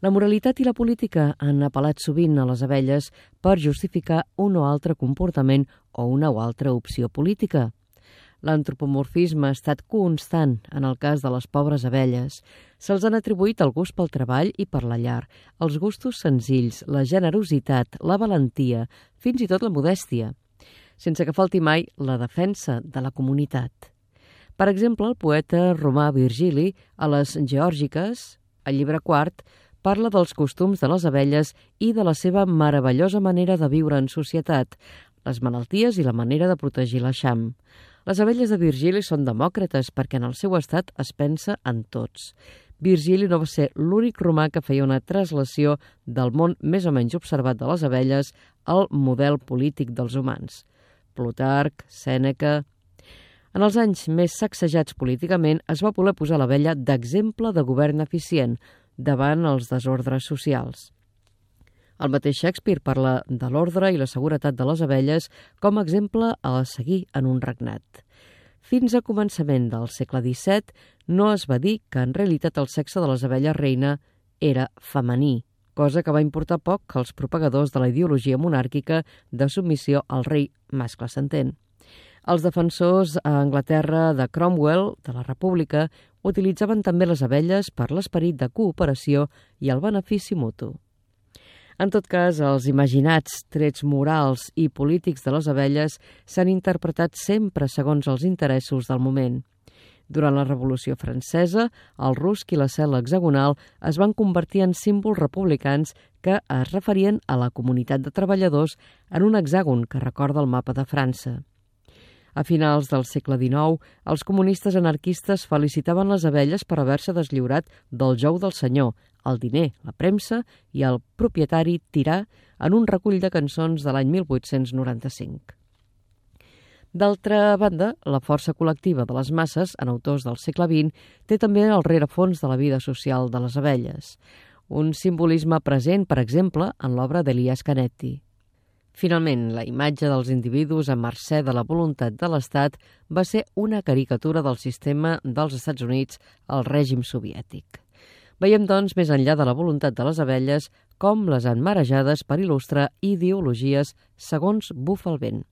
La moralitat i la política han apel·lat sovint a les abelles per justificar un o altre comportament o una o altra opció política. L'antropomorfisme ha estat constant en el cas de les pobres abelles. Se'ls han atribuït el gust pel treball i per la llar, els gustos senzills, la generositat, la valentia, fins i tot la modèstia, sense que falti mai la defensa de la comunitat. Per exemple, el poeta romà Virgili, a les Geòrgiques, al llibre quart, parla dels costums de les abelles i de la seva meravellosa manera de viure en societat, les malalties i la manera de protegir l'eixam. Les abelles de Virgili són demòcrates perquè en el seu estat es pensa en tots. Virgili no va ser l'únic romà que feia una translació del món més o menys observat de les abelles al model polític dels humans. Plutarc, Sèneca... En els anys més sacsejats políticament es va voler posar l'abella d'exemple de govern eficient davant els desordres socials. El mateix Shakespeare parla de l'ordre i la seguretat de les abelles com a exemple a seguir en un regnat. Fins a començament del segle XVII no es va dir que en realitat el sexe de les abelles reina era femení, cosa que va importar poc als propagadors de la ideologia monàrquica de submissió al rei mascle, s'entén. Els defensors a Anglaterra de Cromwell, de la República, utilitzaven també les abelles per l'esperit de cooperació i el benefici mutu. En tot cas, els imaginats trets morals i polítics de les abelles s'han interpretat sempre segons els interessos del moment. Durant la Revolució Francesa, el rusc i la cel·la hexagonal es van convertir en símbols republicans que es referien a la comunitat de treballadors en un hexàgon que recorda el mapa de França. A finals del segle XIX, els comunistes anarquistes felicitaven les abelles per haver-se deslliurat del jou del senyor, el diner, la premsa i el propietari tirà en un recull de cançons de l'any 1895. D'altra banda, la força col·lectiva de les masses, en autors del segle XX, té també el rerefons de la vida social de les abelles. Un simbolisme present, per exemple, en l'obra d'Elias Canetti. Finalment, la imatge dels individus a mercè de la voluntat de l'Estat va ser una caricatura del sistema dels Estats Units al règim soviètic. Veiem, doncs, més enllà de la voluntat de les abelles, com les han marejades per il·lustrar ideologies segons bufa el vent.